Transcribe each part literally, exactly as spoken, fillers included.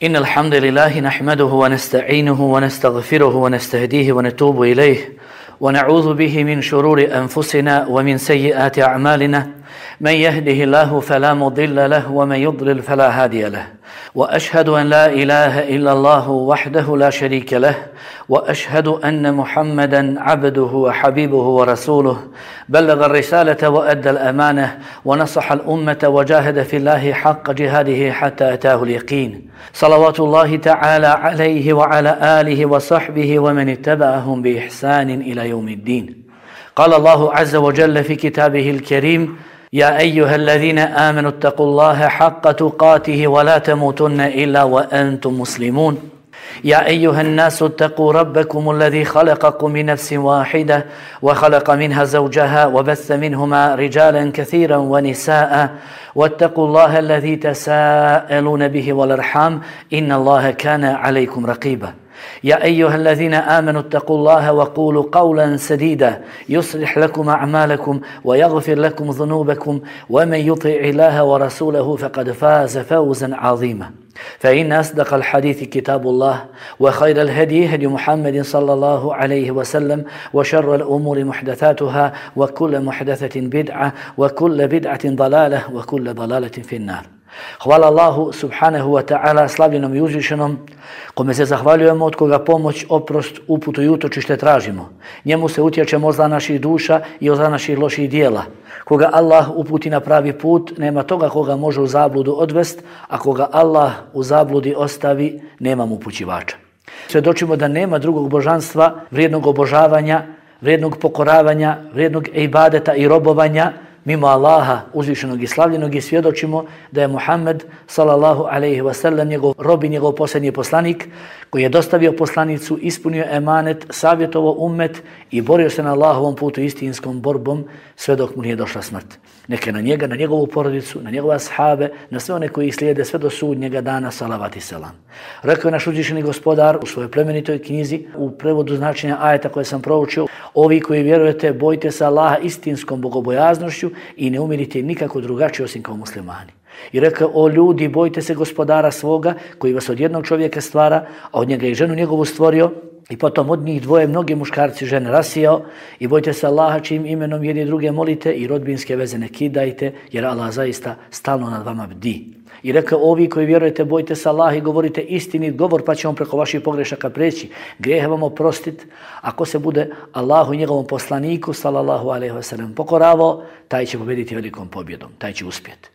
إن الحمد لله نحمده ونستعينه ونستغفره ونستهديه ونتوب إليه ونعوذ به من شرور أنفسنا ومن سيئات أعمالنا من يهده الله فلا مضل له ومن يضلل فلا هادي له وأشهد أن لا إله إلا الله وحده لا شريك له وأشهد أن محمدا عبده وحبيبه ورسوله بلغ الرسالة وأدى الأمانة ونصح الأمة وجاهد في الله حق جهاده حتى أتاه اليقين صلوات الله تعالى عليه وعلى آله وصحبه ومن اتبعهم بإحسان إلى يوم الدين. قال الله عز وجل في كتابه الكريم: يا أيها الذين آمنوا اتقوا الله حق تقاته ولا تموتن إلا وأنتم مسلمون. يا أيها الناس اتقوا ربكم الذي خلقكم من نفس واحدة وخلق منها زوجها وبث منهما رجالا كثيرا ونساء واتقوا الله الذي تساءلون به والأرحام إن الله كان عليكم رقيبا. يا أيها الذين آمنوا اتقوا الله وقولوا قولا سديدا يصلح لكم أعمالكم ويغفر لكم ذنوبكم ومن يطع الله ورسوله فقد فاز فوزا عظيما. فإن أصدق الحديث كتاب الله وخير الهدي هدي محمد صلى الله عليه وسلم وشر الأمور محدثاتها وكل محدثة بدعة وكل بدعة ضلالة وكل ضلالة في النار. Hvala Allahu subhanahu wa ta'ala, slavljenom i uzvišenom, kome se zahvaljujemo, od koga pomoć, oprost, uputu i utočište tražimo. Njemu se utječemo od zla naših duša i od zla naših loših dijela. Koga Allah uputi na pravi put, nema toga koga može u zabludu odvest, a koga Allah u zabludi ostavi, nema mu upućivača. Svjedočimo da nema drugog božanstva, vrijednog obožavanja, vrijednog pokoravanja, vrijednog ibadeta i robovanja mimo Allaha uzvišenog i slavljenog, i svjedočimo da je Muhammed sallallahu alejhi ve sellem njegov rob i njegov posljednji poslanik koji je dostavio poslanicu, ispunio emanet, savjetovao ummet i borio se na Allahovom putu istinskom borbom sve dok mu nije došla smrt. Neka na njega, na njegovu porodicu, na njegove ashabe, na sve one koji slijede sve do sudnjega dana, salavat i selam. Rekao je naš uzvišeni gospodar u svojoj plemenitoj knjizi, u prevodu značenja ajeta koje sam proučio: ovi koji vjerujete, bojte se Allaha istinskom bogobojaznošću i ne umirite nikako drugačije osim kao muslimani. I rekao: o ljudi, bojte se gospodara svoga koji vas od jednog čovjeka stvara, a od njega i ženu njegovu stvorio, i potom od njih dvoje mnoge muškarci žene rasijao, i bojte se Allaha čijim imenom jedni druge molite i rodbinske veze ne kidajte, jer Allah zaista stalno nad vama bdi. I rekao: ovi koji vjerujete, bojte se Allaha i govorite istinit govor, pa će on preko vaših pogrešaka preći, grijehe vam oprostit. Ako se bude Allahu i njegovom poslaniku sallallahu alejhi ve sellem pokoravao, taj će pobjediti velikom pobjedom, taj će uspjeti.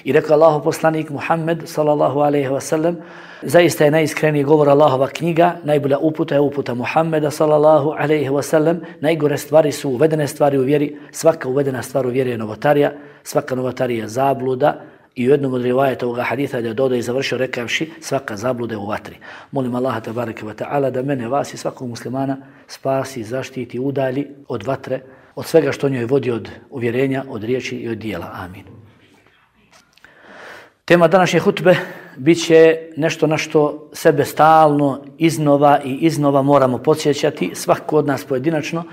I rekao Allahov poslanik Muhammed sallallahu alejhi ve sellem: zaista je najiskreniji govor Allahova knjiga, najbolja uputa je uputa Muhammeda sallallahu alejhi ve sellem, najgore stvari su uvedene stvari u vjeri, svaka uvedena stvar u vjeri je novotarija, svaka novotarija je zabluda. I u jednom od rivajeta ovoga haditha da je dodao i završio rekavši: svaka zabluda je u vatri. Molim Allaha tabaraka wa ta'ala da mene, vas i svakog muslimana spasi, zaštiti, udalji od vatre, od svega što njoj vodi od uvjerenja, od riječi i od dijela. Amin. Tema današnje hutbe bit će nešto na što sebe stalno iznova i iznova moramo podsjećati, svako od nas pojedinačno.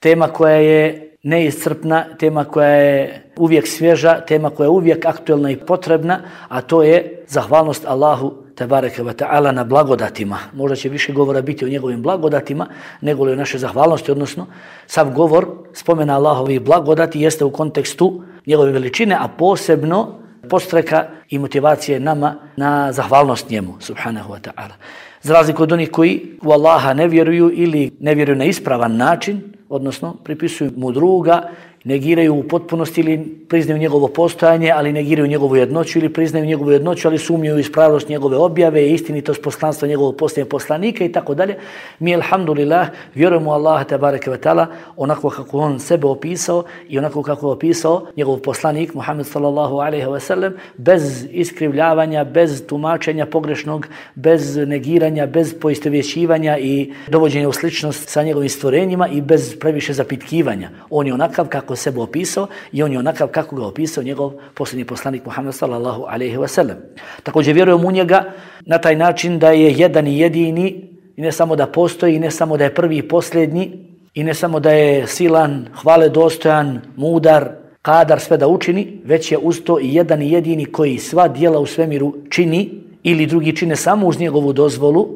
Tema koja je neiscrpna, tema koja je uvijek svježa, tema koja je uvijek aktuelna i potrebna, a to je zahvalnost Allahu tebareke ve ta'ala na blagodatima. Možda će više govora biti o njegovim blagodatima nego li o naše zahvalnosti, odnosno sav govor spomena Allahovih blagodati jeste u kontekstu njegove veličine, a posebno podstreka i motivacije nama na zahvalnost njemu, subhanahu wa ta'ala. Za razliku od onih koji u Allaha ne vjeruju ili ne vjeruju na ispravan način, odnosno pripisuju mu druga, negiraju u potpunosti ili priznaju njegovo postojanje, ali negiraju njegovu jednoću, ili priznaju njegovu jednoću, ali sumnjuju ispravnost njegove objave, istinitost poslanstva njegovog posljednjeg poslanika i tako dalje. Mi, alhamdulillah, vjerujemo u Allaha tebareke ve ta'ala onako kako on sebe opisao i onako kako je opisao njegov poslanik Muhammed sallallahu alejhi ve sellem, bez iskrivljavanja, bez tumačenja pogrešnog, bez negiranja, bez poistovjećivanja i dovođenja u sličnost sa njegovim stvorenjima i bez previše zapitkivanja. On je onakav kako sebe opisao i on je onakav kako ga opisao njegov posljednji poslanik Muhammed sallallahu alejhi ve sellem. Također vjerujemo u njega na taj način da je jedan i jedini, i ne samo da postoji, i ne samo da je prvi i posljednji, i ne samo da je silan, hvale dostojan, mudar, kadar sve da učini, već je uz to i jedan i jedini koji sva djela u svemiru čini ili drugi čine samo uz njegovu dozvolu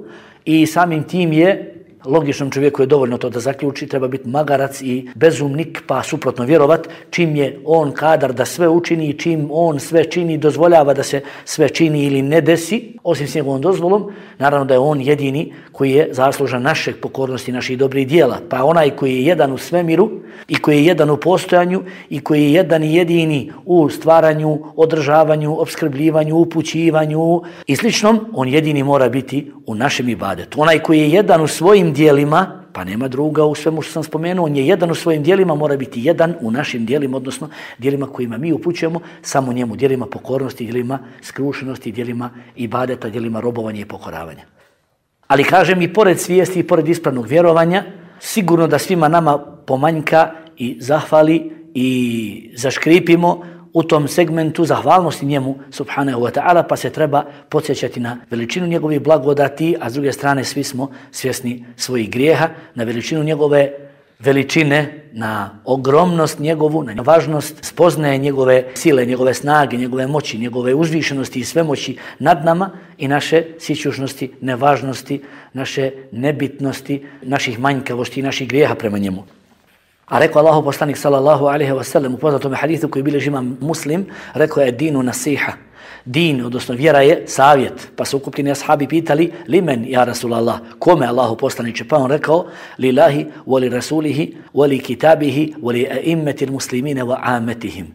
i samim tim je logičnom čovjeku je dovoljno to da zaključi, treba biti magarac i bezumnik pa suprotno vjerovat, čim je on kadar da sve učini i čim on sve čini, dozvoljava da se sve čini ili ne desi, osim s njegovom dozvolom, naravno da je on jedini koji je zaslužan našeg pokornosti, naših dobrih dijela. Pa onaj koji je jedan u svemiru i koji je jedan u postojanju i koji je jedan i jedini u stvaranju, održavanju, opskrbljivanju, upućivanju i sličnom, on jedini mora biti u našem ibadetu. Onaj koji je jedan u svojim dijelima, pa nema druga u svemu što sam spomenuo, on je jedan u svojim dijelima, mora biti jedan u našim dijelima, odnosno dijelima kojima mi upućujemo, samo njemu, dijelima pokornosti, dijelima skrušenosti, dijelima ibadeta, dijelima robovanja i pokoravanja. Ali kažem i pored svijesti i pored ispravnog vjerovanja, sigurno da svima nama pomanjka i zahvali i zaškripimo u tom segmentu zahvalnosti njemu subhanahu wa ta'ala, pa se treba podsjećati na veličinu njegovih blagodati, a s druge strane svi smo svjesni svojih grijeha, na veličinu njegove veličine, na ogromnost njegovu, na važnost spoznaje njegove sile, njegove snage, njegove moći, njegove uzvišenosti i svemoći nad nama i naše sićušnosti, nevažnosti, naše nebitnosti, naših manjkavosti i naših grijeha prema njemu. A rekao Allahu poslanik sallallahu alejhi ve sellem u poznatom hadisu koji bilježi imam Muslim, rekao je dinu nasiha. Din, odnosno vjera je savjet. Pa su ukupljeni ashabi pitali, limen ja Rasulallah, kome Allahu poslaniče? Pa on rekao, lillahi, wali rasulihi, wali kitabihi, wali a'immetil muslimine wa ametihim.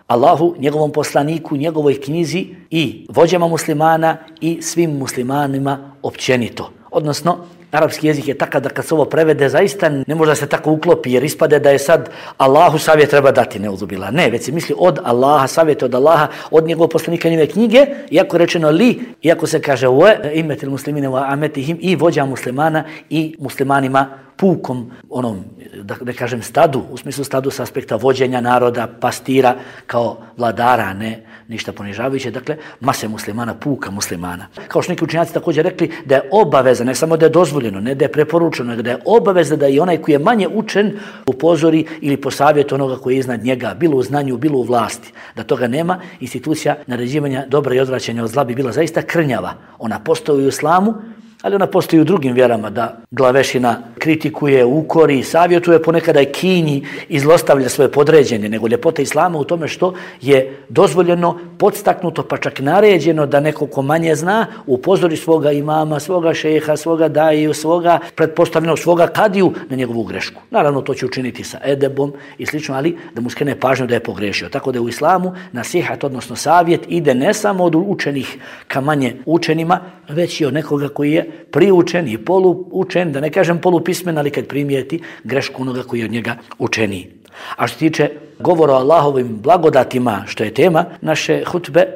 Allahu, njegovom poslaniku, njegovoj knjizi i vođama muslimana i svim muslimanima općenito. Odnosno, arapski jezik je takav da kad se ovo prevede zaista ne može da se tako uklopi jer ispade da je sad Allahu savjet treba dati, ne uzubila. Ne, već se misli od Allaha, savjet od Allaha, od njegovog poslanika njegove knjige, iako rečeno li, iako se kaže wa imetil muslimine wa ametihim i vođa muslimana i muslimanima pukom, onom, da ne kažem stadu, u smislu stadu sa aspekta vođenja naroda, pastira kao vladara, ne ništa ponižavajuće, dakle, mase muslimana, puka muslimana. Kao što neki učenjaci također rekli da je obaveza, ne samo da je dozvoljeno, ne da je preporučeno, nego da je obaveza da i onaj koji je manje učen upozori ili posavjet onoga koji je iznad njega, bilo u znanju, bilo u vlasti. Da toga nema, institucija naređivanja dobra i odvraćanja od zla bi bila zaista krnjava. Ona postoji u islamu, ali ona postoji u drugim vjerama, da glavešina kritikuje, ukori, savjetuje, ponekada je kinji i zlostavlja svoje podređene, nego ljepota islama u tome što je dozvoljeno, podstaknuto, pa čak naređeno da neko ko manje zna upozori svoga imama, svoga šeha, svoga daju, svoga pretpostavljenog, svoga kadiju na njegovu grešku. Naravno, to će učiniti sa edebom i slično, ali da mu skrene pažnju da je pogrešio. Tako da je u islamu nasihat, odnosno savjet, ide ne samo od učenih ka manje učenima, već i od nekoga koji je priučen i poluučen, da ne kažem polupismen, ali kad primijeti grešku onoga koji je od njega učeniji. A što tiče govora o Allahovim blagodatima, što je tema naše hutbe,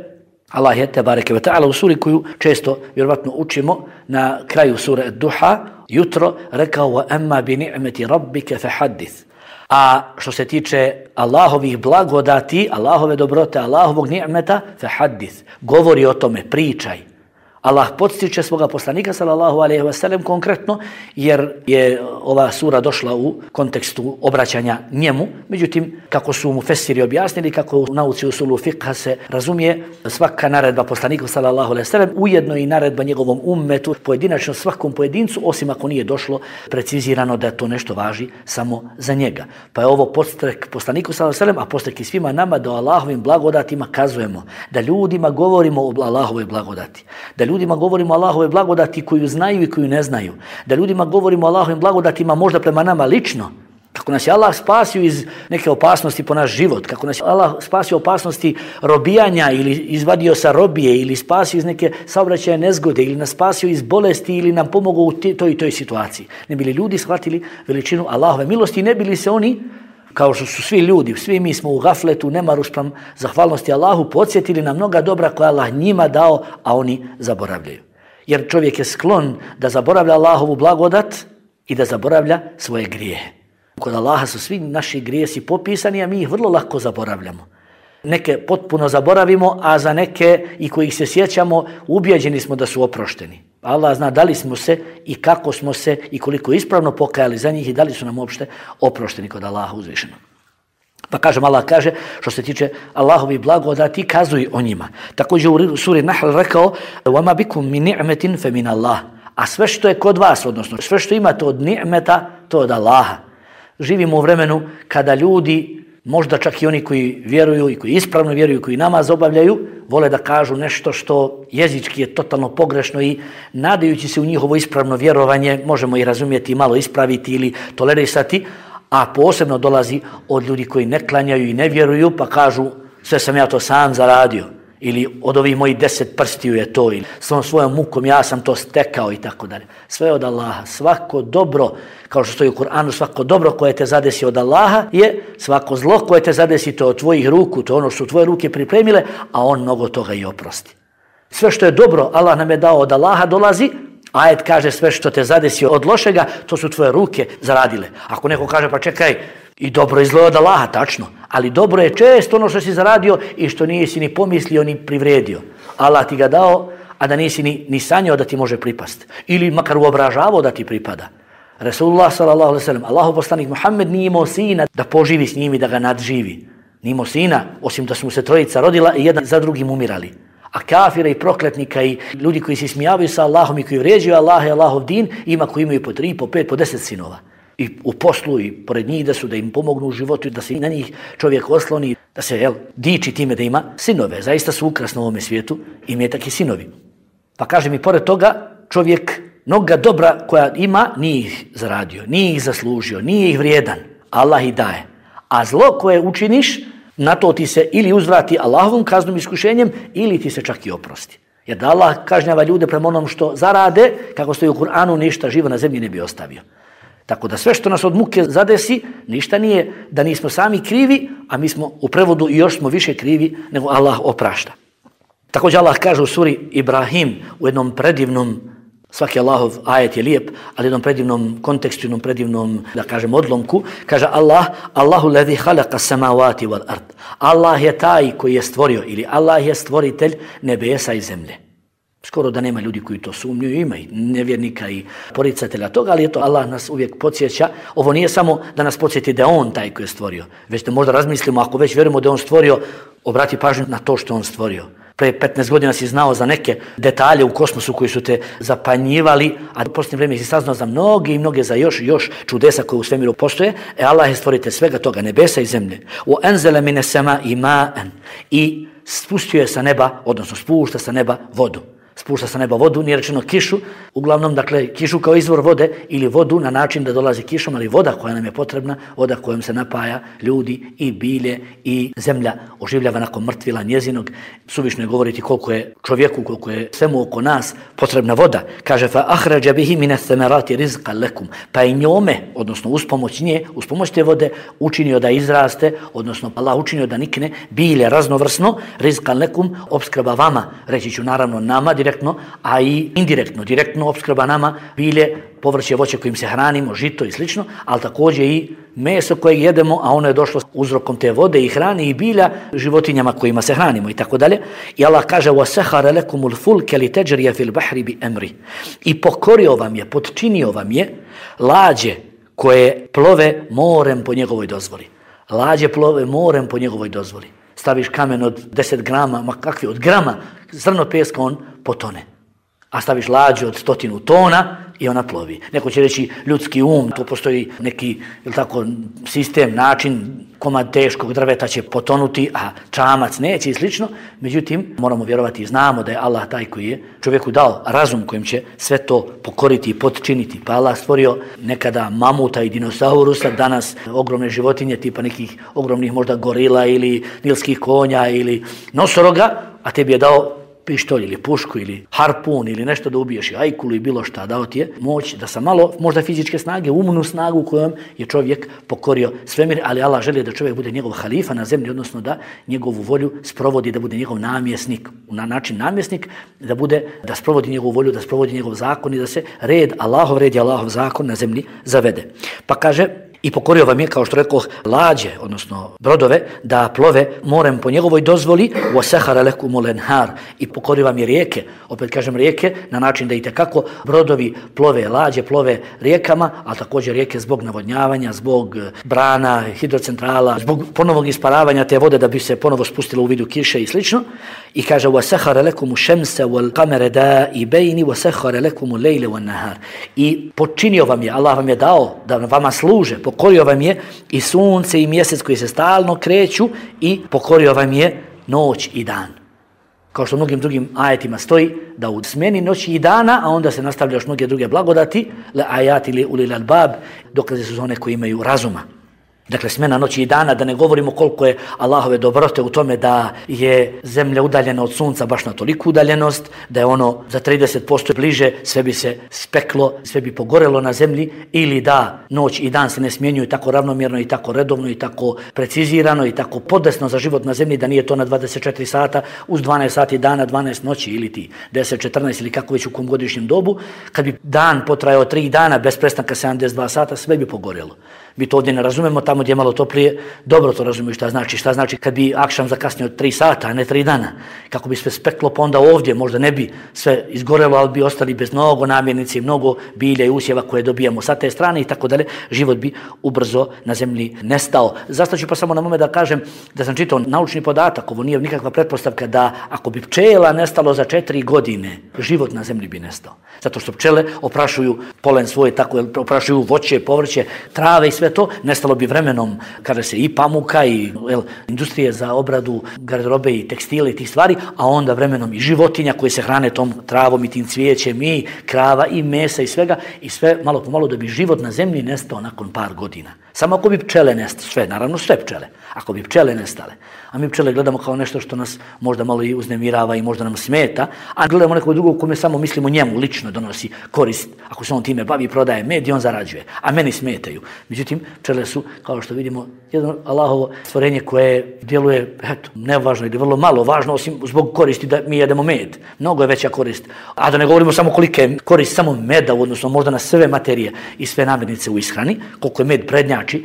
Allah je tebareke ve ta'ala u suri koju često vjerovatno učimo na kraju sure Duha, jutro rekao wa amma bi ni'meti rabbike fahaddith. A što se tiče Allahovih blagodati, Allahove dobrote, Allahovog ni'meta fahaddith, govori o tome, pričaj. Allah podstiče svoga poslanika sallallahu alejhi ve sellem konkretno jer je ova sura došla u kontekstu obraćanja njemu. Međutim, kako su mu fesiri objasnili, kako u nauci usulu fiqha se razumije, svaka naredba poslaniku sallallahu alejhi ve sellem ujedno i naredba njegovom ummetu, pojedinačno svakom pojedincu, osim ako nije došlo precizirano da to nešto važi samo za njega. Pa je ovo podstrek poslaniku sallallahu alejhi ve sellem, a podstrek i svima nama da o Allahovim blagodatima kazujemo, da ljudima govorimo o Allahovoj blagodati, da ljudima govorimo o Allahove blagodati koju znaju i koju ne znaju. Da ljudima govorimo o Allahovim blagodatima možda prema nama lično. Kako nas je Allah spasio iz neke opasnosti po naš život. Kako nas je Allah spasio opasnosti robijanja ili izvadio sa robije ili spasio iz neke saobraćaje nezgode ili nas spasio iz bolesti ili nam pomogao u toj i toj situaciji. Ne bili ljudi shvatili veličinu Allahove milosti i ne bili se oni, kao što su svi ljudi, svi mi smo u gafletu, nemaru spram zahvalnosti Allahu, podsjetili na mnoga dobra koja Allah njima dao, a oni zaboravljaju. Jer čovjek je sklon da zaboravlja Allahovu blagodat i da zaboravlja svoje grijehe. Kod Allaha su svi naši grijesi popisani, a mi ih vrlo lako zaboravljamo. Neke potpuno zaboravimo, a za neke i kojih se sjećamo, ubijeđeni smo da su oprošteni. Allah zna da li smo se i kako smo se i koliko ispravno pokajali za njih i da li su nam uopšte oprošteni kod Allaha uzvišenog. Pa kažem, Allah kaže, što se tiče Allahovi blagodati, kazuj o njima. Također u suri Nahl rekao, وَمَا بِكُمْ مِنْ نِعْمَةٍ فَمِنَ اللَّهِ. A sve što je kod vas, odnosno sve što imate od ni'meta, to od Allaha. Živimo u vremenu kada ljudi, možda čak i oni koji vjeruju i koji ispravno vjeruju, koji namaz obavljaju, vole da kažu nešto što jezički je totalno pogrešno i nadajući se u njihovo ispravno vjerovanje, možemo i razumjeti i malo ispraviti ili tolerisati, a posebno dolazi od ljudi koji ne klanjaju i ne vjeruju, pa kažu sve sam ja to sam zaradio, ili od ovih mojih deset prstiju je to, ili svom svojom mukom ja sam to stekao i tako dalje. Sve od Allaha. Svako dobro, kao što stoji u Kur'anu, svako dobro koje te zadesi od Allaha je svako zlo koje te zadesi to od tvojih ruku, to ono što su tvoje ruke pripremile, a on mnogo toga i oprosti. Sve što je dobro, Allah nam je dao od Allaha, dolazi. Ajet kaže sve što te zadesi od lošega, to su tvoje ruke zaradile. Ako neko kaže pa čekaj, i dobro i zlo je od Allaha, tačno, ali dobro je često ono što si zaradio i što nisi ni pomislio ni privredio. Allah ti ga dao, a da nisi ni, ni sanjao da ti može pripast. Ili makar uobražavao da ti pripada. Resulullah sallallahu alejhi ve sellem, Allahov poslanik Muhammed nije imao sina da poživi s njim i da ga nadživi. Nije imao sina, osim da su mu se trojica rodila i jedan za drugim umirali. A kafira i prokletnika i ljudi koji se smijavaju sa Allahom i koji vređuju Allah i Allahov din, ima koji imaju po tri, po pet, po deset sinova. I u poslu i pored njih da su, da im pomognu u životu, da se na njih čovjek osloni, da se jel, diči time da ima sinove. Zaista su ukras na ovome svijetu i metak i sinovi. Pa kaže mi, pored toga, čovjek mnoga dobra koja ima nije ih zaradio, nije ih zaslužio, nije ih vrijedan. Allah ih daje. A zlo koje učiniš, na to ti se ili uzvrati Allahovom kaznom iskušenjem ili ti se čak i oprosti. Jer da Allah kažnjava ljude prema onom što zarade, kako stoji u Kur'anu, ništa živo na zemlji ne bi ostavio. Tako da sve što nas od muke zadesi, ništa nije da nismo sami krivi, a mi smo u prevodu i još smo više krivi nego Allah oprašta. Također Allah kaže u suri Ibrahim u jednom predivnom, svaki Allahov ajet je lijep, ali u jednom predivnom kontekstu, u jednom predivnom, da kažem, odlomku, kaže Allah, Allahu ladhi khalaqa samawati wal ard. Allah je taj koji je stvorio, ili Allah je stvoritelj nebesa i zemlje. Skoro da nema ljudi koji to sumnjuju, ima i nevjernika i poricatelja toga, ali eto, Allah nas uvijek podsjeća. Ovo nije samo da nas podsjeti da je on taj koji je stvorio, već da možda razmislimo, ako već vjerujemo da je on stvorio, obrati pažnju na to što on stvorio. Pre petnaest godina si znao za neke detalje u kosmosu koji su te zapanjivali, a u posljednje vrijeme si saznao za mnoge i mnoge za još još čudesa koje u svemiru postoje. E Allah je stvoritelj svega toga, nebesa i zemlje. U enzele mine sema i ma'an. I spustio je sa neba, odnosno spušta sa neba vodu. Spušta sa neba vodu, nije rečeno kišu, uglavnom, dakle, kišu kao izvor vode ili vodu na način da dolazi kišom, ali voda koja nam je potrebna, voda kojom se napaja ljudi i bilje i zemlja oživljava nakon mrtvila njezinog. Suvišno je govoriti koliko je čovjeku, koliko je svemu oko nas potrebna voda. Kaže, fa ahrađa bihi mine themerati rizqa lekum, pa i njome, odnosno uz pomoć nje, uz pomoć te vode, učinio da izraste, odnosno Allah učinio da nikne bilje raznovrsno, rizqa lekum, opskrba vama, reći ću naravno nama, direktno, a i indirektno. Direktno opskrba nama bilje, povrće, voće kojim se hranimo, žito i slično, ali također i meso koje jedemo, a ono je došlo uzrokom te vode i hrane i bilja životinjama kojima se hranimo i tako dalje. I Allah kaže: وَسَحَرَ لَكُمُ الْفُلْكَ لِتَجْرِيَ فِي الْبَحْرِ بِأَمْرِ. I pokorio vam je, podčinio vam je lađe koje plove morem po njegovoj dozvoli. Lađe plove morem po njegovoj dozvoli. Staviš kamen od deset grama, ma kakvi, od grama, zrno peska, on potone. A staviš lađu od stotinu tona i ona plovi. Neko će reći ljudski um, to postoji neki, ili tako, sistem, način, komad teškog drveta će potonuti, a čamac neće i slično. Međutim, moramo vjerovati i znamo da je Allah taj koji je čovjeku dao razum kojim će sve to pokoriti i potčiniti. Pa Allah stvorio nekada mamuta i dinosaurusa, danas ogromne životinje tipa nekih ogromnih možda gorila ili nilskih konja ili nosoroga, a tebi je dao pištolj ili pušku ili harpun ili nešto da ubiješ i ajkulu i bilo šta, dao ti je moć da sa malo možda fizičke snage, umnu snagu kojom je čovjek pokorio svemir, ali Allah želi da čovjek bude njegov halifa na zemlji, odnosno da njegovu volju sprovodi, da bude njegov namjesnik, na način namjesnik, da bude, da sprovodi njegovu volju, da sprovodi njegov zakon i da se red, Allahov red i Allahov zakon na zemlji zavede. Pa kaže: I pokorio vam je, kao što rekoh, lađe, odnosno brodove, da plove morem po njegovoj dozvoli, وَسَحَرَ لَكُمُ الْأَنْهَارِ i pokorio vam je rijeke, opet kažem rijeke, na način da i tekako brodovi plove, lađe plove rijekama, a također rijeke zbog navodnjavanja, zbog brana, hidrocentrala, zbog ponovog isparavanja te vode da bi se ponovo spustilo u vidu kiše i slično. I kaže وَسَحَرَ لَكُمُ الشَّمْسَ وَالْقَمَرَ دَائِبَيْنِ وَسَحَرَ لَكُمُ اللَّيْلَ وَالنَّهَارِ i počinio vam je, Allah vam je dao da vama služe, pokorio vam je i sunce i mjesec koji se stalno kreću i pokorio vam je noć i dan. Kao što u mnogim drugim ajetima stoji da u smeni noći i dana, a onda se nastavlja još mnoge druge blagodati, le ajati li ulil albab, dokaze su one koji imaju razuma. Dakle, smena noći i dana, da ne govorimo koliko je Allahove dobrote u tome da je zemlja udaljena od sunca baš na toliku udaljenost, da je ono za trideset posto bliže, sve bi se speklo, sve bi pogorelo na zemlji, ili da noć i dan se ne smjenjuju tako ravnomjerno i tako redovno i tako precizirano i tako podesno za život na zemlji, da nije to na dvadeset četiri sata uz dvanaest sati dana, dvanaest noći ili ti deset, četrnaest ili kako već u kom godišnjem dobu. Kad bi dan potrajao tri dana bez prestanka sedamdeset dva sata, sve bi pogorelo. Mi to ovdje ne razumemo, tamo gdje je malo toplije, dobro to razumiju šta znači. Šta znači kad bi akšam zakasnio tri sata, a ne tri dana. Kako bi sve speklo, pa onda ovdje možda ne bi sve izgorelo, ali bi ostali bez mnogo namirnice, mnogo bilja i usjeva koje dobijamo sa te strane i tako dalje. Život bi ubrzo na zemlji nestao. Zastaću pa samo na moment da kažem da sam čitao naučni podatak, ovo nije nikakva pretpostavka, da ako bi pčela nestalo za četiri godine, život na zemlji bi nestao. Zato što pčele oprašuju polen svoje, tako oprašuju voće, povrće, trave i sve to, nestalo bi vremenom, kaže se, i pamuka i el, industrije za obradu garderobe i tekstile i tih stvari, a onda vremenom i životinja koje se hrane tom travom i tim cvijećem i krava i mesa i svega, i sve malo po malo da bi život na zemlji nestao nakon par godina. Samo ako bi pčele nestale, sve, naravno sve pčele, ako bi pčele nestale. A mi pčele gledamo kao nešto što nas možda malo i uznemirava i možda nam smeta, a gledamo nekog drugog kome samo mislimo njemu lično donosi korist, ako se on time bavi, prodaje med i on zarađuje, a meni smetaju. Međutim, pčele su, kao što vidimo, jedno Allahovo stvorenje koje djeluje, eto, nevažno ili vrlo malo važno, osim zbog koristi da mi jedemo med. Mnogo je veća korist. A da ne govorimo samo kolika je korist samo meda, odnosno možda na sve materije i sve namirnice u ishrani, koliko je med prednjači,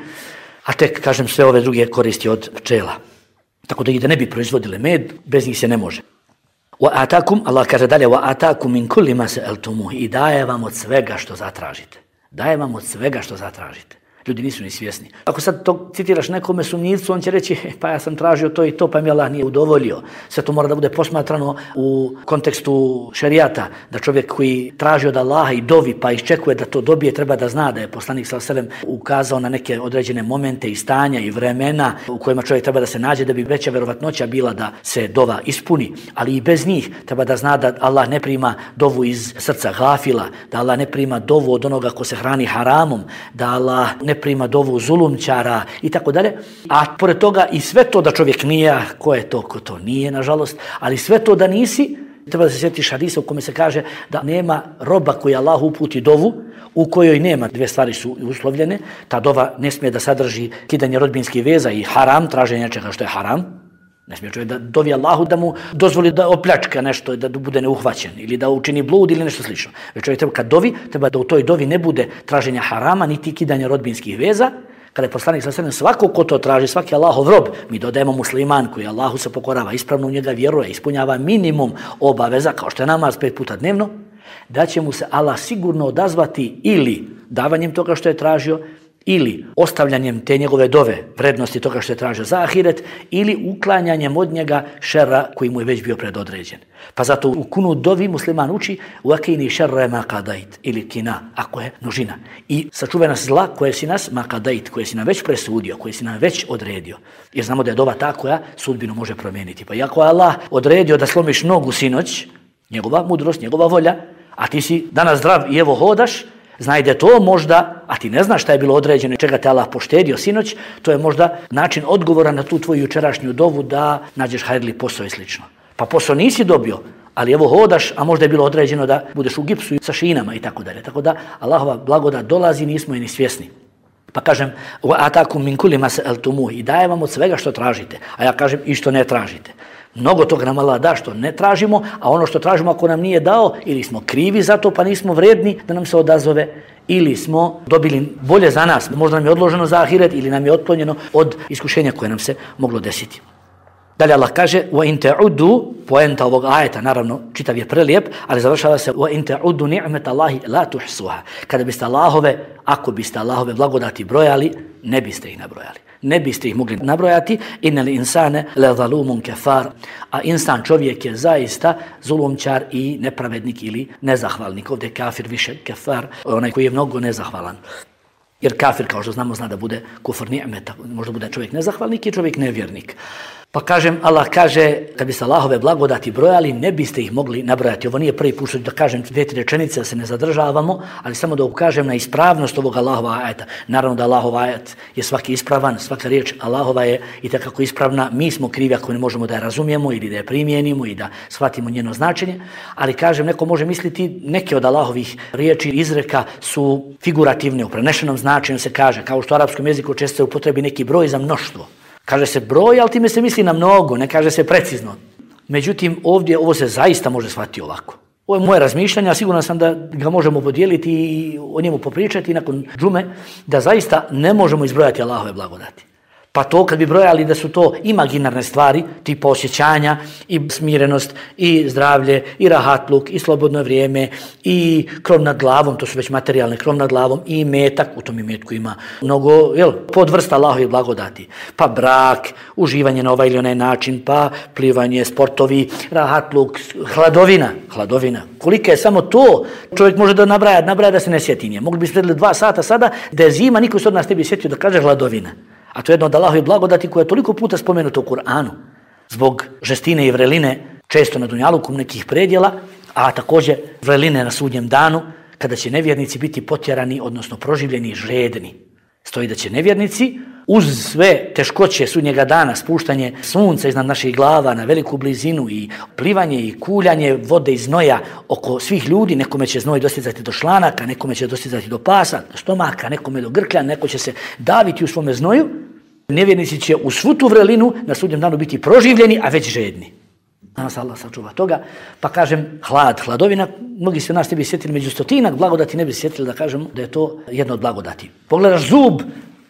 a tek, kažem, sve ove druge koristi od pčela. Tako da i da ne bi proizvodile med, bez njih se ne može. Wa atakum, Allah kaže dalje, wa atakum min kulli ma sa'altumuh, i daje vam od svega što zatražite. Daje vam od svega što zatražite. Ljudi nisu ni svjesni. Ako sad to citiraš nekome sumnjivcu, on će reći, pa ja sam tražio to i to, pa mi Allah nije udovoljio. Sve to mora da bude posmatrano u kontekstu šerijata, da čovjek koji traži od Allaha i dovi pa iščekuje da to dobije, treba da zna da je poslanik sallallahu alejhi ve sellem ukazao na neke određene momente i stanja i vremena u kojima čovjek treba da se nađe da bi veća verovatnoća bila da se dova ispuni, ali i bez njih treba da zna da Allah ne prima dovu iz srca gafila, da Allah ne prima dovu od onoga ko se hrani haramom, da Allah ne prima dovu zulumčara i tako dalje. A pored toga i sve to da čovjek nije, ko je to, ko to nije, nažalost, ali sve to da nisi, treba da se sjetiš hadisa u kome se kaže da nema roba koji Allah uputi dovu u kojoj nema, dvije stvari su uslovljene, ta dova ne smije da sadrži kidanje rodbinskih veza i haram, traženje nečega što je haram. Ne smije čovjek da dovi Allahu da mu dozvoli da opljačka nešto, da bude neuhvaćen ili da učini blud ili nešto slično. Već čovjek treba kad dovi, treba da u toj dovi ne bude traženja harama niti kidanja rodbinskih veza. Kada je poslanik sallallahu alejhi ve sellem, svako ko to traži, svaki Allahov rob, mi dodajemo musliman koji Allahu se pokorava, ispravno u njega vjeruje, ispunjava minimum obaveza, kao što je namaz pet puta dnevno, da će mu se Allah sigurno odazvati ili davanjem toga što je tražio, ili ostavljanjem te njegove dove, vrednosti toga što je tražio za ahiret, ili uklanjanjem od njega šerra koji mu je već bio predodređen. Pa zato u kunu dovi musliman uči uakini šerre ma kadait, ili kina, ako je množina. I sačuvaj nas zla koje si nas ma kadait, koje si nam već presudio, koje si nam već odredio. Jer znamo da je dova ta koja sudbinu može promijeniti. Pa iako je Allah odredio da slomiš nogu sinoć, njegova mudrost, njegova volja, a ti si danas zdrav i evo hodaš, znaj da to možda, a ti ne znaš šta je bilo određeno i čega te Allah poštedio sinoć, to je možda način odgovora na tu tvoju jučerašnju dovu da nađeš hajrli posao i slično. Pa posao nisi dobio, ali evo hodaš, a možda je bilo određeno da budeš u gipsu sa šinama i tako dalje. Tako da Allahova blagodat dolazi, nismo i ni svjesni. Pa kažem, atakum min kulli ma sa'altumuh, i daje vam od svega što tražite, a ja kažem i što ne tražite. Mnogo toga nam Allah da što ne tražimo, a ono što tražimo ako nam nije dao, ili smo krivi za to pa nismo vredni da nam se odazove, ili smo dobili bolje za nas, možda nam je odloženo za ahiret ili nam je otklonjeno od iskušenja koje nam se moglo desiti. Dalje Allah kaže وَإِن تَعُدُّ, poenta ovog ajeta, naravno čitav je prelijep, ali završava se وَإِن تَعُدُّ نِعْمَةَ اللَّهِ لَا تُحْصُوهَا. Kada biste Allahove, ako biste Allahove blagodati brojali, ne biste ih nabrojali. Ne biste ih mogli nabrojati. Innal insane lezalumun kafar. A insan, čovjek, je zaista zulumčar i nepravednik ili nezahvalnik. Ovdje kafir više kafar, onaj koji je mnogo nezahvalan. Jer kafir, kao što znamo, zna da bude kufr ni'meta. Možda bude čovjek nezahvalnik i čovjek nevjernik. Pa kažem, Allah kaže, kad biste Allahove blagodati brojali, ne biste ih mogli nabrojati. Ovo nije prvi put da kažem dvije, tri rečenice, da se ne zadržavamo, ali samo da ukažem na ispravnost ovog Allahova ajeta. Naravno da Allahov ajet je svaki ispravan, svaka riječ Allahova je i takako ispravna. Mi smo krivi ako ne možemo da je razumijemo ili da je primijenimo i da shvatimo njeno značenje, ali kažem, neko može misliti neke od Allahovih riječi izreka su figurativne, u prenešenom značenju se kaže, kao što u arapskom jeziku često se upotrebi neki broj za mnoštvo. Kaže se broj, ali time se misli na mnogo, ne kaže se precizno. Međutim, ovdje ovo se zaista može shvatiti ovako. Ovo je moje razmišljanje, a siguran sam da ga možemo podijeliti i o njemu popričati nakon džume, da zaista ne možemo izbrojati Allahove blagodati. Pa to kad bi brojali da su to imaginarne stvari, tipa osjećanja i smirenost i zdravlje i rahatluk i slobodno vrijeme i krov nad glavom, to su već materijalne, krov nad glavom i metak, u tom imetku ima mnogo jel, podvrsta Allahovih blagodati. Pa brak, uživanje na ovaj ili onaj način, pa plivanje, sportovi, rahatluk, hladovina, hladovina. Kolika je samo to, čovjek može da nabraja, nabraja da se ne sjeti nje. Mogli bi sredili dva sata sada, da je zima, niko se od nas ne bi sjetio da kaže hladovina. A to je jedno od Allahovih blagodati koja je toliko puta spomenuta u Kur'anu. Zbog žestine i vreline, često na dunjaluku nekih predjela, a također vreline na sudnjem danu, kada će nevjernici biti potjerani, odnosno proživljeni žedni. Stoji da će nevjernici, uz sve teškoće sudnjega dana, spuštanje sunca iznad naših glava na veliku blizinu i plivanje i kuljanje vode i znoja oko svih ljudi, nekome će znoj dostizati do šlanaka, nekome će dostizati do pasa, do stomaka, nekome do grklja, neko će se daviti u svome znoju, nevjernici će u svu tu vrelinu na sudnjem danu biti proživljeni, a već žedni. Nas Allah sačuva toga, pa kažem hlad, hladovina, mnogi se nas ne bi sjetili među stotinak blagodati, ne bi sjetili da kažem da je to jedno od blagodati. Pogledaš zub,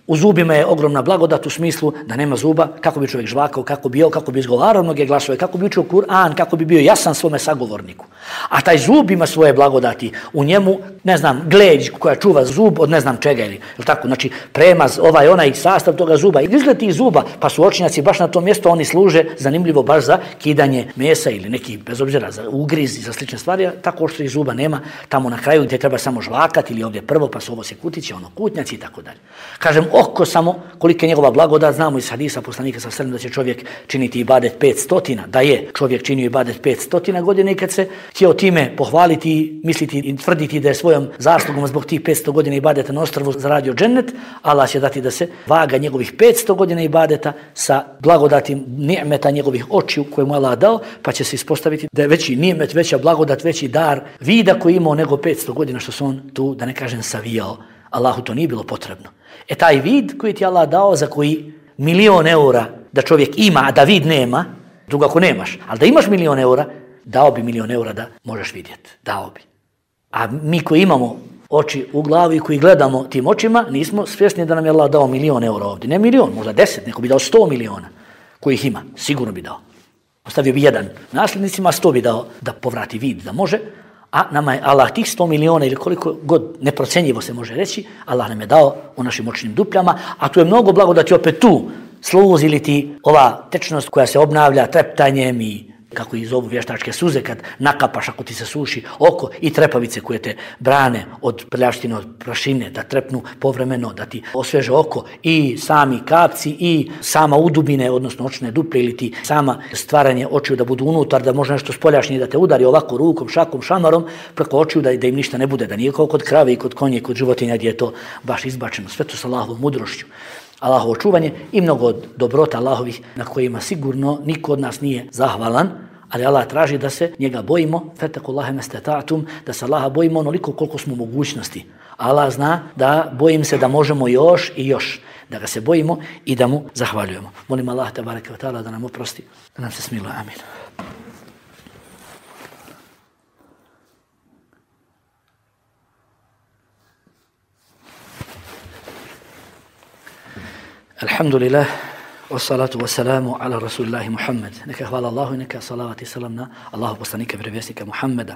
u zubima je ogromna blagodat u smislu da nema zuba, kako bi čovjek žvakao, kako bi jeo, kako bi izgovarao mnoge glasove, kako bi učio Kur'an, kako bi bio jasan svome sagovorniku. A taj zub ima svoje blagodati, u njemu, ne znam, gleđ koja čuva zub od ne znam čega ili, ili tako, znači premaz, ovaj, onaj sastav toga zuba. Izgled tih zuba, pa su očinjaci baš na tom mjestu, oni služe zanimljivo baš za kidanje mesa ili neki, bez obzira, za ugriz i za slične stvari, tako što ih zuba nema tamo na kraju gdje treba samo žvakati ili ovdje prvo, pa su ovo se kutići, ono kutnjaci i tako dalje. Kažem, oko samo kolika je njegova blagodat, znamo iz hadisa poslanika sa sredom da će čovjek činiti ibadet pet stotina, da je čovjek činio ibadet pet stotina godina i kad se htio time pohvaliti, misliti i tvrditi da je svojom zaslugom zbog tih petsto godina ibadeta na ostrvu zaradio džennet, Allah će dati da se vaga njegovih petsto godina ibadeta sa blagodatim ni'meta njegovih očiju koje mu Allah dao, pa će se ispostaviti da je veći ni'met, veća blagodat, veći dar vida koji imao nego petsto godina što se on tu, da ne kažem, savijao. Allahu to nije bilo potrebno. E taj vid koji ti Allah dao, za koji milion eura da čovjek ima, a da vid nema, drugo ako nemaš, ali da imaš milion eura, dao bi milion eura da možeš vidjeti. Dao bi. A mi koji imamo oči u glavi i koji gledamo tim očima, nismo svjesni da nam je Allah dao milion eura ovdje. Ne milion, možda deset, neko bi dao sto miliona kojih ima. Sigurno bi dao. Ostavio bi jedan nasljednicima, sto bi dao da povrati vid, da može. A nama je Allah tih sto miliona ili koliko god neprocenjivo se može reći, Allah nam je dao u našim očnim dupljama, a tu je mnogo blagodati opet tu, sluzi li ti ova tečnost koja se obnavlja treptanjem i kako ih zovu vještačke suze kad nakapaš ako ti se suši oko i trepavice koje te brane od prljavštine, od prašine, da trepnu povremeno, da ti osveže oko i sami kapci i sama udubine, odnosno očne duple ili ti sama stvaranje očiju da budu unutar, da može nešto spoljašnje da te udari ovako rukom, šakom, šamarom preko očiju da, da im ništa ne bude, da nije kao kod krave i kod konje i kod životinja gdje je to baš izbačeno. Sve to sa Allahovom mudrošću. Allahovo čuvanje i mnogo dobrota Allahovih na kojima sigurno niko od nas nije zahvalan, ali Allah traži da se njega bojimo, fetakullahi mastata'tum, da se Allaha bojimo onoliko koliko smo mogućnosti. Allah zna da bojim se da možemo još i još, da ga se bojimo i da mu zahvaljujemo. Molim Allah tebareke ve taala da nam oprosti, da nam se smiluje. Amin. Alhamdulillah, wassalatu wassalamu ala rasulillahi Muhammad. Neka hvala Allahu i neka salavat i salam na Allahu poslanika i vjerovjesnika Muhammeda.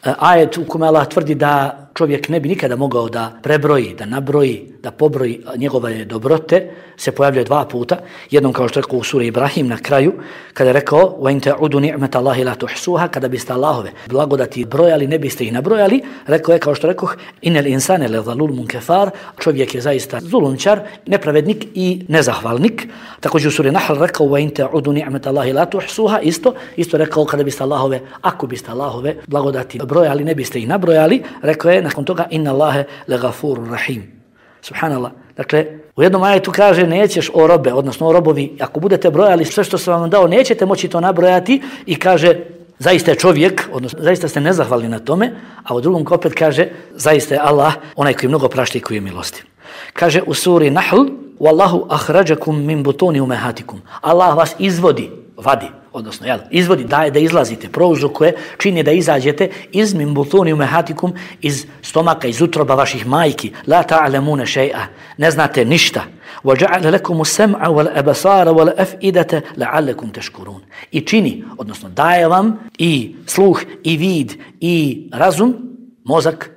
Ajet u kome Allah tvrdi da čovjek ne bi nikada mogao da prebroji, da nabroji, da pobroji njegove dobrote, se pojavljuje dva puta. Jednom kao što je rekao u suri Ibrahim na kraju, kada je rekao وَإِنْ تَعُدُوا نِعْمَةَ اللَّهِ لَا تُحْسُوهَا, kada biste Allahove blagodati brojali, ne biste ih nabrojali. Rekao je kao što rekoh, إِنَّ الْإِنسَانَ لَظَلُومٌ كَفَارٌ, čovjek je zaista zulumčar, nepravednik i nezahvalnik. Također u suri Nahl rekao وَإِنْ تَعُدُوا نِعْمَةَ اللَّهِ لَا تُحْسُوهَا, isto, isto rekao kada biste Allahove, ako biste Allahove blagodati brojali, ne biste ih nabrojali. Rekao je nakon toga inna Allahe legafurur rahim. Subhanallah. Dakle, u jednom ajetu kaže nećeš o robe, odnosno o robovi, ako budete brojali sve što sam vam dao, nećete moći to nabrojati i kaže zaista je čovjek, odnosno zaista ste nezahvalni na tome, a u drugom opet kaže zaista je Allah onaj koji mnogo prašta i koji je milostiv. Kaže u suri Nahl Wallahu ahrajakum min butuni umehatikum. Allah vas izvodi, vadi, odnosno jel, izvodi, daje da izlazite, prouzrokuje, čini da izađete iz min butuni umehatikum, iz stomaka, iz utroba vaših majki. La ta'lamuna shay'a, ne znate ništa. وَجَعَلَ لَكُمُ السَّمْعَ وَالْأَبَصَارَ وَالْأَفْئِدَةَ لَعَلَّكُمْ تَشْكُرُونَ. I čini, odnosno daje vam i sluh, i vid, i razum, mozak,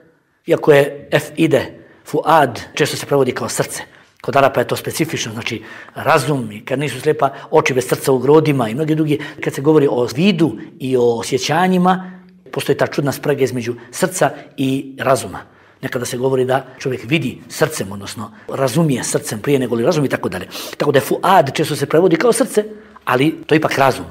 iako je efide, fuad, često se prevodi kao srce. Kod Arapa je to specifično, znači razum, i kad nisu slijepa oči bez srca u grodima i mnogi drugi. Kad se govori o vidu i o osjećanjima, postoji ta čudna sprega između srca i razuma. Nekada se govori da čovjek vidi srcem, odnosno razumije srcem prije nego li razumi i tako dalje. Tako da je fuad često se prevodi kao srce, ali to je ipak razum.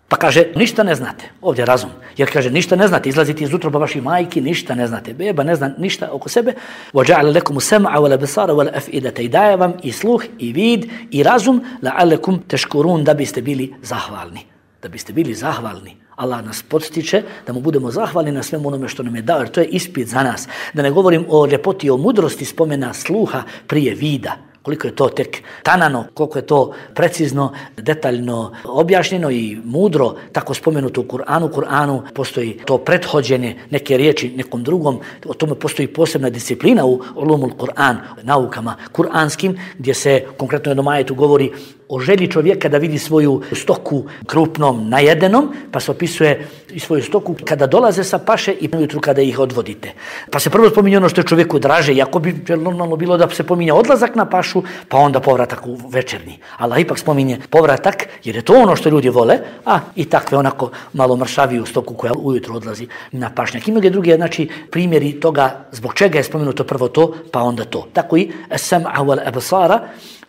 Pa kaže, ništa ne znate, ovdje razum, jer kaže, ništa ne znate, izlazite iz utroba vaših majki, ništa ne znate, beba ne zna ništa oko sebe. وَجَعَلَ لَكُمُ السَّمْعَ وَالْأَبْصَارَ وَالْأَفْئِدَةَ, i daje vam i sluh, i vid, i razum, لَعَلَّكُمْ تَشْكُرُونَ, da biste bili zahvalni. Da biste bili zahvalni. Allah nas podstiče da mu budemo zahvalni na svemu onome što nam je dao, jer to je ispit za nas. Da ne govorim o ljepoti i o mudrosti spomena sluha prije vida. Koliko je to tek tanano, koliko je to precizno, detaljno objašnjeno i mudro, tako spomenuto u Kur'anu. U Kur'anu postoji to prethođenje neke riječi nekom drugom, o tome postoji posebna disciplina u ulumul Kur'an, naukama kur'anskim, gdje se konkretno u jednom ajetu govori o želji čovjeka da vidi svoju stoku krupnom, najedenom, pa se opisuje i svoju stoku kada dolaze sa paše i ujutru kada ih odvodite. Pa se prvo spominje ono što je čovjeku draže, iako bi normalno bilo da se pominje odlazak na pašu, pa onda povratak u večernji. Allah ipak spominje povratak, jer je to ono što ljudi vole, a i takve onako malo mršaviju stoku koja ujutru odlazi na pašnjak. I mnoge druge, znači, primjeri toga zbog čega je spomenuto prvo to, pa onda to. Tako i as-sam'a wal absara,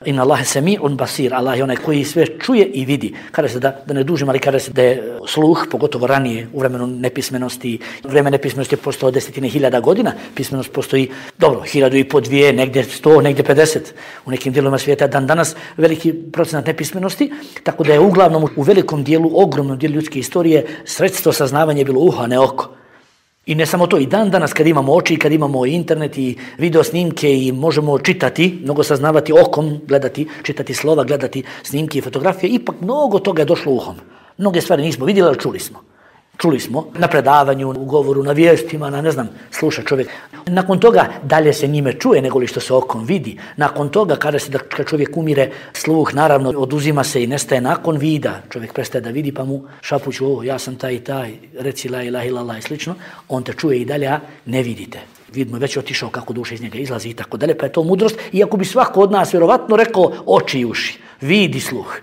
inna Allahe sami'un basir, Allah je onaj koji sve čuje i vidi. Kada se da, da ne dužim, ali kada se da je sluh, pogotovo ranije u vremenu nepismenosti, vreme nepismenosti je postao desetine hiljada godina, pismenost postoji, dobro, hiljadu i po dvije, negdje sto, negdje pedeset. U nekim dijelovima svijeta dan danas veliki procenat nepismenosti, tako da je uglavnom u velikom dijelu, ogromnom dijelu ljudske istorije sredstvo saznavanja bilo uho, a ne oko. I ne samo to, i dan danas kad imamo oči, kad imamo internet i video snimke i možemo čitati, mnogo saznavati okom, gledati, čitati slova, gledati snimke i fotografije, ipak mnogo toga je došlo uhom. Mnoge stvari nismo vidjeli, ali čuli smo. Čuli smo na predavanju, u govoru, na vijestima, na ne znam, sluša čovjek. Nakon toga dalje se njime čuje nego li što se okom vidi. Nakon toga kada se da kad čovjek umire, sluh naravno oduzima se i nestaje nakon vida. Čovjek prestaje da vidi pa mu šapuću, o, ja sam taj i taj, reci la ilaha illallah i slično. On te čuje i dalje, a ne vidite. Vid mu je već otišao kako duša iz njega izlazi i tako dalje, pa je to mudrost. Iako bi svako od nas vjerovatno rekao oči i uši, vid i sluh.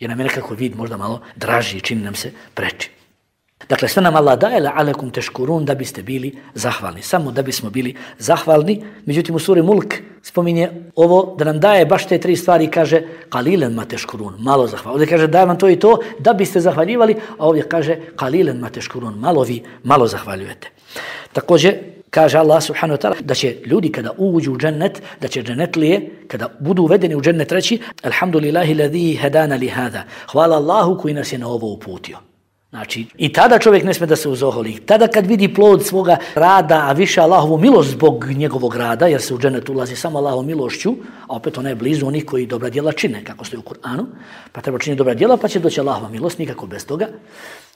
Jer nam je nekako vid možda malo draži, čini nam se preči. Dakle, sve nam Allah daje la'alekum teškurun, da biste bili zahvalni. Samo da bismo bili zahvalni. Međutim, u suri Mulk spominje ovo da nam daje baš te tri stvari i kaže qalilan ma teškurun, malo zahvalni. Ovdje kaže daje vam to i to da biste zahvaljivali, a ovdje kaže qalilan ma teškurun, malo vi, malo zahvaljujete. Također, kaže Allah subhanahu wa ta'ala da će ljudi kada uđu u džennet, da će džennetlije, kada budu uvedeni u džennet reći alhamdulillahi ladhi hadana li hada. Hvala Allahu koji nas je na ovo uputio. Znači, i tada čovjek ne smije da se uzoholi. Tada kad vidi plod svoga rada, a više Allahovu milost zbog njegovog rada, jer se u džennet ulazi samo Allahovom milošću, a opet ona je blizu onih koji dobra djela čine, kako stoji u Kur'anu, pa treba činiti dobra djela, pa će doći Allahova milost, nikako bez toga.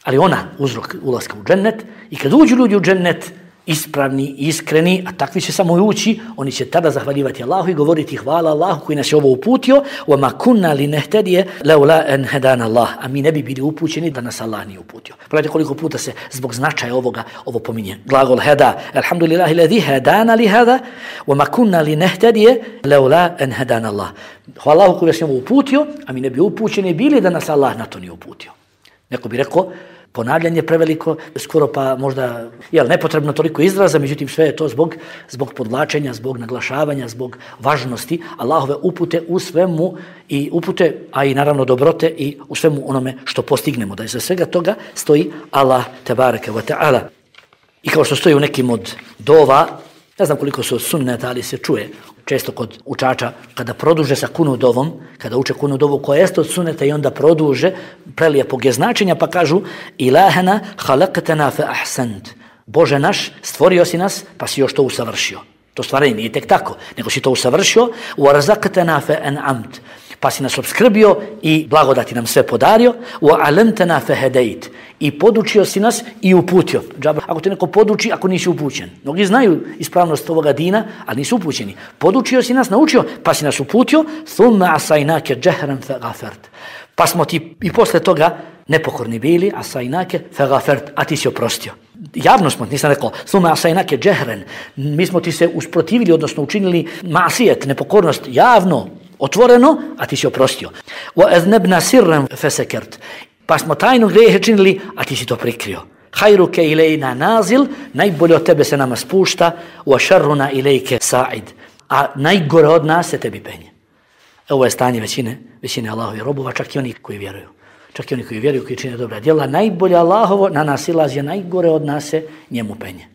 Ali ona uzrok ulaska u džennet, i kad uđu ljudi u džennet, ispravni, iskreni, a takvi će samo ući, oni će tada zahvaljivati Allahu i govoriti hvala Allahu koji nas je ovo uputio, وَمَا كُنَّا لِنَهْتَدِيَ لَوْلَا أَنْ هَدَانَ اللَّهُ, a mi ne bi bili upućeni da nas Allah nije uputio. Pogledajte koliko puta se zbog značaja ovoga ovo pominje. Glagol heda, alhamdulillahi ladhi hadana li hada, وَمَا كُنَّا لِنَهْتَدِيَ لَوْلَا أَنْ هَدَانَ اللَّهُ. Hvala Allahu koji nas je ovo uputio, a mi ne bi upućeni bili da nas Allah na to nije uputio. Neko bi rekao, ponavljanje preveliko, skoro pa možda jel, nepotrebno toliko izraza, međutim sve je to zbog, zbog podvlačenja, zbog naglašavanja, zbog važnosti Allahove upute u svemu i upute, a i naravno dobrote i u svemu onome što postignemo. Da iza svega toga stoji Allah tebareke ve ta'ala. I kao što stoji u nekim od dova, ne znam koliko su od sunneta, ali se čuje često kod učača, kada produže sa kunudovom, kada uče kunudovu koja jeste od sunneta i onda produže, prelijepog je značenja, pa kažu Ilahana halaqtana fa ahsant. Bože naš, stvorio si nas, pa si još to usavršio. To stvaranje nije tek tako, nego si to usavršio. Warzaqtana fa an'amt. Pa si nas obskrbio i blagodati nam sve podario. وَعَلَمْتَنَا فَهَدَيْتِ. I podučio si nas i uputio. Džaba, ako te neko poduči, ako nisi upućen. Mnogi znaju ispravnost ovoga dina, ali nisu upućeni. Podučio si nas, naučio, pa si nas uputio. ثُمَّ عَصَيْنَاكَ جَهْرًا فَغَفَرْتِ. Pa smo ti i posle toga nepokorni bili, عَصَيْنَاكَ فَغَفَرْتِ. A ti si oprostio. Javno smo, nisam rekao, ثُمَّ عَصَيْنَاكَ جَهْرًا. Mi smo ti se usprotivili, odnosno učinili masijet, nepokornost, javno, otvoreno, a ti si oprostio. وَأَذْنَبْنَا سِرًّا فَسَكَرْتِ. Pa smo tajno grijehe činili, a ti si to prikrio. خَيْرُكَ إِلَيْنَا نَازِلْ. Najbolje od tebe se nama spušta. وَشَرُّنَا إِلَيْكَ سَعِدْ. A najgore od nas se tebi penje. Ovo je stanje većine, većine Allahovi robova, čak i oni koji vjeruju. Čak i oni koji vjeruju, koji čine dobra djela. Najbolje Allahovo na nas ilazi, najgore od nas se njemu penje.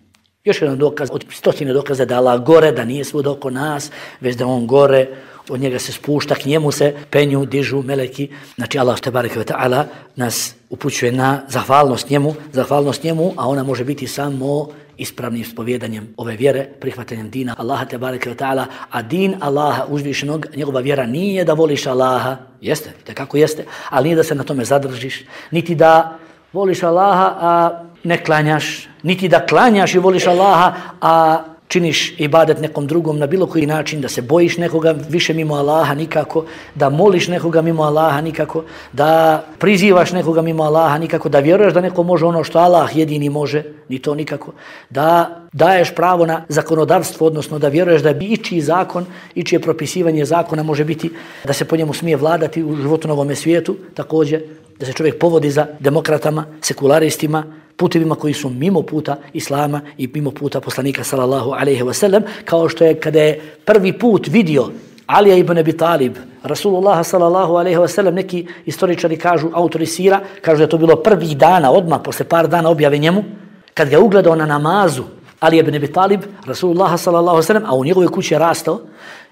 Još jedan dokaz, od stotine dokaza da Allah gore, da nije svud oko nas, već da on gore, od njega se spušta, k njemu se penju, dižu meleki. Znači Allah tebareke ve ta'ala nas upućuje na zahvalnost njemu, zahvalnost njemu, a ona može biti samo ispravnim ispovjedanjem ove vjere, prihvatanjem dina Allaha tebareke ve ta'ala, a din Allaha uzvišenog, njegova vjera nije da voliš Allaha, jeste, tekako jeste, ali nije da se na tome zadržiš, niti da voliš Allaha, a ne klanjaš, niti da klanjaš i voliš Allaha, a činiš ibadet nekom drugom na bilo koji način, da se bojiš nekoga više mimo Allaha nikako, da moliš nekoga mimo Allaha nikako, da prizivaš nekoga mimo Allaha nikako, da vjeruješ da neko može ono što Allah jedini može, ni to nikako, da daješ pravo na zakonodavstvo, odnosno da vjeruješ da bi ičiji zakon, ičije propisivanje zakona može biti da se po njemu smije vladati u životu na ovome svijetu, također da se čovjek povodi za demokratama, sekularistima, putevima koji su mimo puta Islama i mimo puta poslanika sallallahu alejhi ve sellem, kao što je kada je prvi put vidio Alija ibn Abi Talib, Rasulullah sallallahu alejhi ve sellem, neki istoričari kažu, autori sira, kažu da je to bilo prvih dana, odmah posle par dana objave njemu, kad ga ugledao na namazu Alija ibn Abi Talib, Rasulullah sallallahu alejhi ve sellem, a u njegovoj kući je rastao,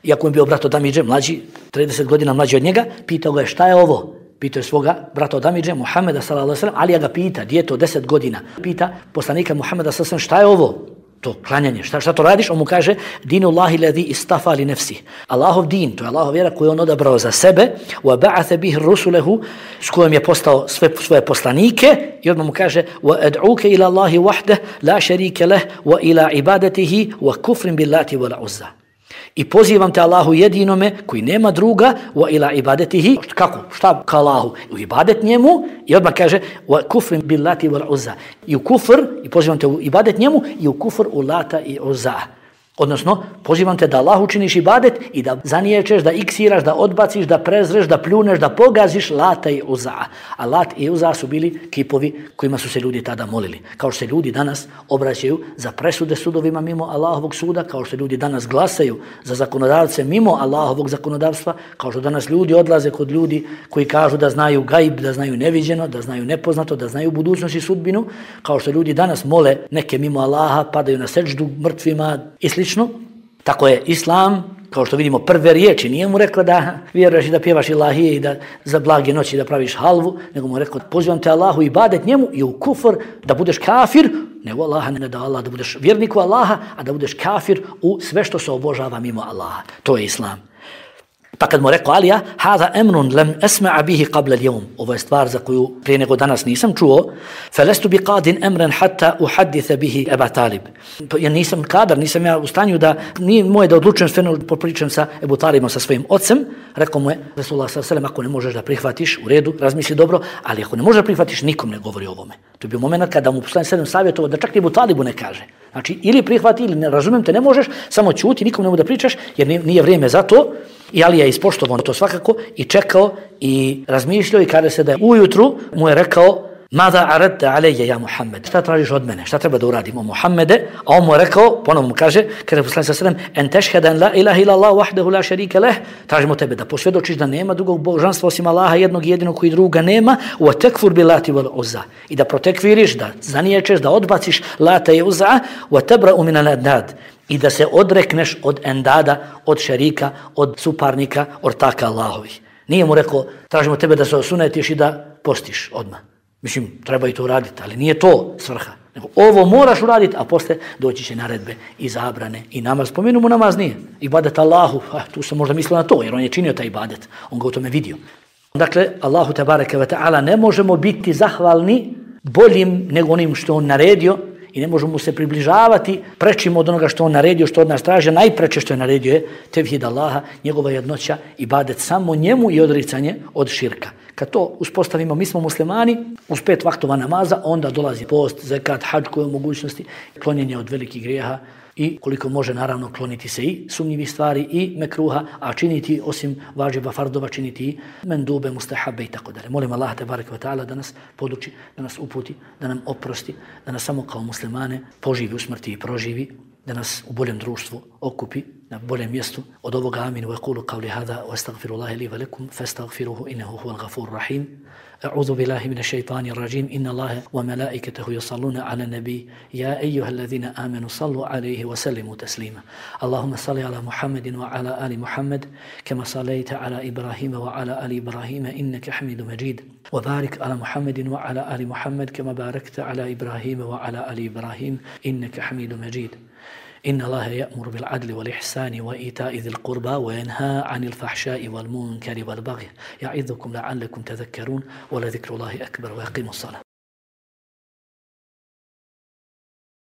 iako je bio brat od Amidže, mlađi, trideset godina mlađi od njega, pitao ga je šta je ovo? Pitao je svoga brata od Amidže, Muhammeda sallallahu alejhi ve sellem, Alija ga pita, djeto deset godina, pita poslanika Muhammeda sallallahu alejhi ve sellem, šta je ovo? To klanjanje, šta, šta to radiš? On mu kaže, dinullahi ladhi istafa li nefsi. Allahov din, to je Allahov vjera koju on odabrao za sebe, wa ba'atha bihi rusulahu, s kojom je postao sve svoje poslanike, i odmah mu kaže, wa ad'uka ila Allahi wahdah, la sharika lah, wa ila ibadatihi, wa kufrin billati wa la uzza. I pozivam te Allahu jedinome koji nema druga, wa ila ibadetihi, kako, šta ka Allahu, u ibadet njemu, i odmah kaže wa kufrin billati wal uzza, i u kufr, i pozivam te u ibadet njemu, i u kufr u lata i uzza. Odnosno, pozivam te da Allahu činiš ibadet i da zaniječeš, da iksiraš, da odbaciš, da prezreš, da pljuneš, da pogaziš lata i uza. A lat i uza su bili kipovi kojima su se ljudi tada molili. Kao što se ljudi danas obraćaju za presude sudovima mimo Allahovog suda, kao što ljudi danas glasaju za zakonodavce mimo Allahovog zakonodavstva, kao što danas ljudi odlaze kod ljudi koji kažu da znaju gajb, da znaju neviđeno, da znaju nepoznato, da znaju budućnost i sudbinu, kao što ljudi danas mole neke mimo Allaha, padaju na seđdu mrtvima i slično. Tako je Islam, kao što vidimo, prve riječi, nije mu rekla da vjeruješ i da pjevaš ilahije i da za blage noći da praviš halvu, nego mu rekla, pozivam te Allahu ibadet njemu i u kufr da budeš kafir, nego Allaha ne da Allah, da budeš vjernik u Allaha, a da budeš kafir u sve što se obožava mimo Allaha. To je Islam. Pa kad mu rekao Alija, hada emrun lam asma'a bihi qabla al-yawm, ovo je stvar za koju prije nego danas nisam čuo, falastu bi qadin amran hatta uhadditha bihi Aba Talib. Ja nisam kadar, nisam ja u stanju da, nije moje da odlučujem sve, popričam sa Ebu Talibom, sa svojim ocem. Rekao mu je Rasulullah sallallahu alejhi ve sellem, ako ne možeš da prihvatiš, u redu, razmisli dobro, ali ako ne možeš da prihvatiš, nikom ne govori o ovome. To je bio moment kada mu poslanik sallallahu savjetovao da čak i Ebu Talibu ne kaže. Znači, ili prihvati, ili ne razumijem te, ne možeš, samo ćuti, nikom ne mogu da pričaš, jer nije vrijeme za to. I Ali je ispoštovao to svakako i čekao i razmišljao i kada se da je ujutru mu je rekao Mada aradta alejje ja Muhammed, šta tražiš od mene, šta treba da uradim o Muhammede, a on mu je rekao, ponovno mu kaže, kada je poslanik sallallahu alejhi ve sellem, en tešheda an la ilaha illa Allah wahdahu la sharika leh, tražimo tebe da posvjedočiš da nema drugog božanstva osim Allaha, jednog jedinog koji druga nema, wa takfur bil lati wal uzza, i da protekviriš, da zaniječeš, da odbaciš Lata i Uzza, wa tabra'u min al-andad, i da se odrekneš od endada, od šerika, od suparnika, ortaka Allahovih. Nije mu rekao, tražimo tebe da se osunetiš i da postiš odmah. Mislim, treba i to uraditi, ali nije to svrha. Nego ovo moraš uraditi, a posle doći će naredbe i zabrane i namaz. Spomenu mu namaz nije. Ibadet Allahu, a, tu sam možda mislio na to, jer on je činio taj ibadet. On ga u tome vidio. Dakle, Allahu tebareke ve ta'ala ne možemo biti zahvalni boljim nego onim što on naredio i ne možemo se približavati prečim od onoga što on naredio, što od nas traži. Najpreče što je naredio je tevhid Allaha, njegova jednoća, ibadet samo njemu i odricanje od širka. Kad to uspostavimo, mi smo muslimani, uz pet vaktova namaza, onda dolazi post, zekat, hadž koje mogućnosti, klonjenje od velikih grijeha i koliko može naravno kloniti se i sumnjivih stvari i mekruha, a činiti osim vađiba fardova, činiti i mendube, mustahabe i tako dalje. Molim Allah te barek ve ta'ala da nas poduči, da nas uputi, da nam oprosti, da nas samo kao muslimane poživi u smrti i proživi, da nas u boljem društvu okupi, na boljem mjestu. Od ovoga amin wa yaqulu qawli hadha wa astaghfirullaha li wa lakum fastaghfiruhu innahu huwal ghafurur rahim. A'udhu billahi minash shaitanir rajim. Inna Allaha wa malaikatahu yusalluna 'alan nabiy ya ayyuhalladhina amanu sallu 'alayhi wa sallimu taslima. Allahumma salli 'ala Muhammadin wa 'ala ali Muhammad kama sallaita 'ala Ibrahima wa 'ala ali Ibrahima innaka Hamidum Majid. Wa barik 'ala Muhammadin wa 'ala ali Muhammad kama barakta 'ala Ibrahima wa 'ala ali Ibrahim innaka Hamidum Majid. إن الله يأمر بالعدل والإحسان وإيتاء ذي القربى وينهى عن الفحشاء والمنكر والبغي يعظكم لعلكم تذكرون ولذكر الله أكبر ويقيموا الصلاة